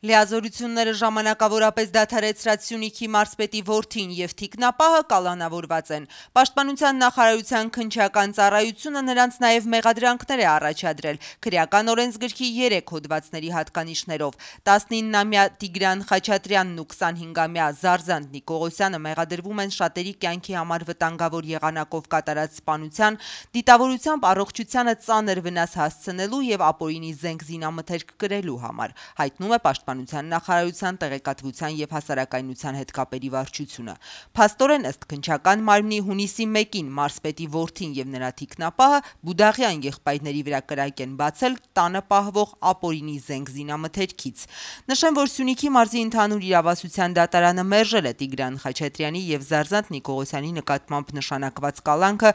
Լիազորությունները ժամանակավորապես դադարեցրած Սյունիքի մարզպետի որդին եւ թիկնապահը կալանավորված են։ Պաշտպանության նախարարության քննչական ծառայությունը նրանց նաեւ մեղադրանքներ է առաջադրել քրեական օրենսգրքի 3 հոդվածների հատկանիշներով։ 19-ամյա Տիգրան Խաչատրյանն ու 25-ամյա Զարզանտ Նիկողոսյանը մեղադրվում են շատերի կյանքի համար վտանգավոր եղանակով կատարած սպանության, դիտավորությամբ առողջությանը ծանր վնաս հասցնելու եւ ապօրինի զենք զինամթերք կրելու համար, հայտնում է Պաշտպանության նախարարության տեղեկատվության եւ հասարակայնության հետ կապերի վարչությունը։ Փաստորեն ըստ քննչական մարմնի հունիսի 1-ին մարզպետի որդին եւ նրա թիկնապահը Բուդաղյան եղբայրների վրա կրակ են բացել տանը պահվող ապօրինի զենք զինամթերքից։ Նշեմ, որ Սյունիքի մարզի ընդհանուր իրավասության դատարանը մերժել է Տիգրան Խաչատրյանի եւ Զարզանտ Նիկողոսյանի նկատմամբ նշանակված կալանքը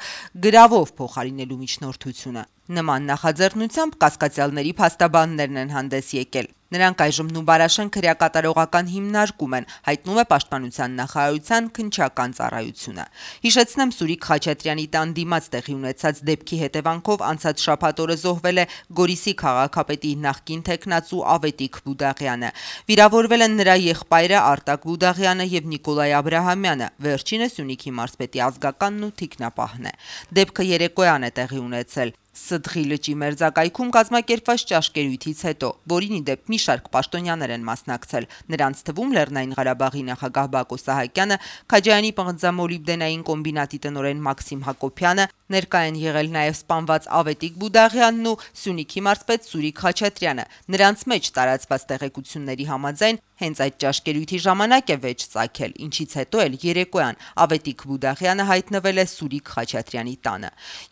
գրավով փոխարինելու միջնորդությունը։ Նման նախաձեռնությամբ կասկածյալների փաստաբաններն են հանդես եկել։ Նրանք այժմ Նուբարաշեն քրեակատարողական հիմնարկում են, հայտնում է Պաշտպանության նախարարության քննչական ծառայությունը։ Հիշեցնեմ, Սուրիկ Խաչատրյանի տան դիմաց տեղի ունեցած դեպքի հետևանքով անցած շաբաթ օրը զոհվել է Գորիսի քաղաքապետի նախկին թեկնածու Ավետիք Բուդաղյանը։ Վիրավորվել են նրա եղբայրը Արտակ Բուդաղյանը եւ Նիկոլայ Աբրահամյանը, վերջինը Սյունիքի մարզպետի ազգականն ու թիկնապահն է։ Դեպքը երեկոյան է տեղի ունեցել Սդղի լճի մերձակայքում կազմակերպված ճաշկերույթից հետո, որին ի դեպ մի շարք պաշտոնյաներ են մասնակցել, նրանց թվում Լեռնային Ղարաբաղի նախագահ Բակո Սահակյանը, Քաջայանի պղնձամոլիբդենային կոմբինատի տնօրեն Մաքսիմ Հակոբյանը, ներկա են եղել նաև սպանված Ավետիք Բուդաղյանն ու Սյունիքի մարզպետ Սուրիկ Խաչատրյանը։ Նրանց մեջ տարածված տեղեկությունների համաձայն հենց այդ ճաշկերույթի ժամանակ է վեճ ծագել, ինչից հետո էլ երեկոյան Ավետիք Բուդաղյանը հայտնվել է Սուրիկ Խաչատրյանի տանը։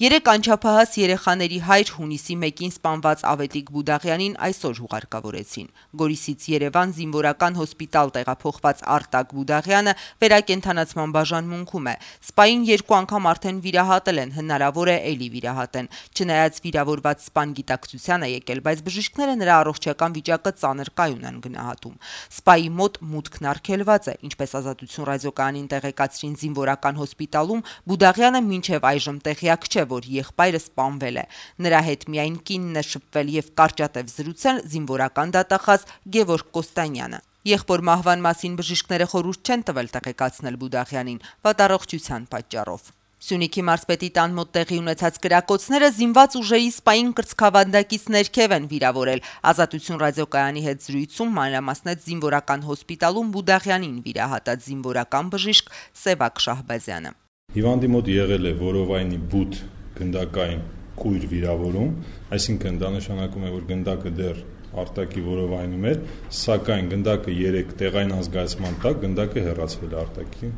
3 անչափահաս երեխաների հայր հունիսի 1-ին սպանված Ավետիք Բուդաղյանին այսօր հուղարկավորեցին։ Գորիսից Երևան զինվորական հոսպիտալ տեղափոխված Արտակ Բուդաղյանը վերակենդանացման բաժանմունքում է։ Սպային 2 անգամ արդեն վիրահատել են, հնարավոր է էլի վիրահատեն։ Չնայած վիրավորված սպան գիտակցության է եկել, բայց բժիշկները նրա առողջական վիճակը ծանր կայուն են գնահատում։ Սպայի մոտ մուտքն արգելված է, ինչպես Ազատություն ռադիոկայանին տեղեկացրին զինվորական հոսպիտալում, Բուդաղյանը մինչև այժմ տեղյակ չէ, որ եղբայրը սպանվել է։ Նրա հետ միայն կինն է շփվել եւ կարճատև զրուցել զինվորական դատախազ Գևորգ Կոստանյանը։ Եղբոր մահվան մասին բժիշկները խորհուրդ չեն տվել տեղեկացնել Բուդաղյանին վատառողջության պատճառով։ Սյունիքի մարզպետի տան մոտ տեղի ունեցած կրակոցները զինված ուժերի սպային կրծքավանդակից ներքև են վիրավորել։ Ազատություն ռադիոկայանի հետ զրույցում մանրամասնեց զինվորական հոսպիտալում Բուդաղյանին վիրահատած զինվորական բժիշկ Սևակ Շահբազյանը։ Հիվանդի մոտ եղել է որովայնի բութ գնդակային կույր վիրավորում, այսինքն դա նշանակում է, որ գնդակը դեռ Արտակի որովայնում էր, սակայն գնդակը 3 տեղային ազգայացման տակ գնդակը հեռացվել է Արտակի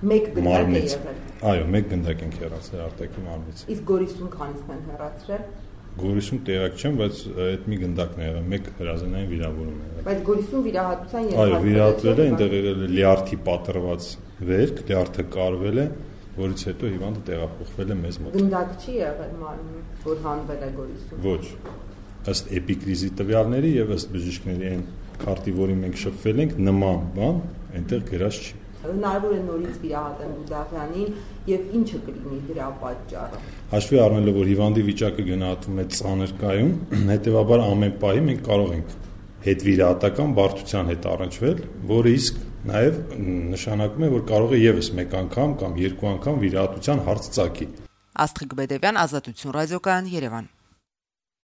մարմնից։ Այո, 1 գնդակ ենք հեռացրել Արտակի մարմնից։ Իսկ Գորիսում քանիսն են հեռացրել։ Գորիսում տեղակ չեմ, բայց այդ մի գնդակն է եղել, 1 հրազենային վիրավորում է եղել։ Բայց Գորիսում վիրահատության Այո, վիրահատվել է, այնտեղ եղել է լյարդի պատրված վերք, լյարդը կարվել է, որից հետո հիվանդը տեղափոխվել է մեզ մոտ։ Գնդակ չի եղել մարմնում, որ հանվել է Գորիսում։ Ոչ։ Ըստ էպիկրիզի տվյալների եւ ըստ բժիշկների այն քարտի, որի մենք շփվել ենք, նման բան այնտեղ գրած չի։ Հնարավոր է նորից վիրահատեն Բուդաղյանին եւ ինչը կլինի դրա պատճառը։ Հաշվի առնելով, որ հիվանդի վիճակը գնահատվում է ծանր կայուն, հետեւաբար ամեն պահի մենք կարող ենք հետվիրահատական բարդության հետ առնչվել, որը իսկ նաեւ նշանակում է, որ կարող է եւս 1 անգամ կամ 2 անգամ վիրահատության հարց ծագի։ Աստղիկ Բեդևյան, Ազատություն ռադիոկայան, Երևան։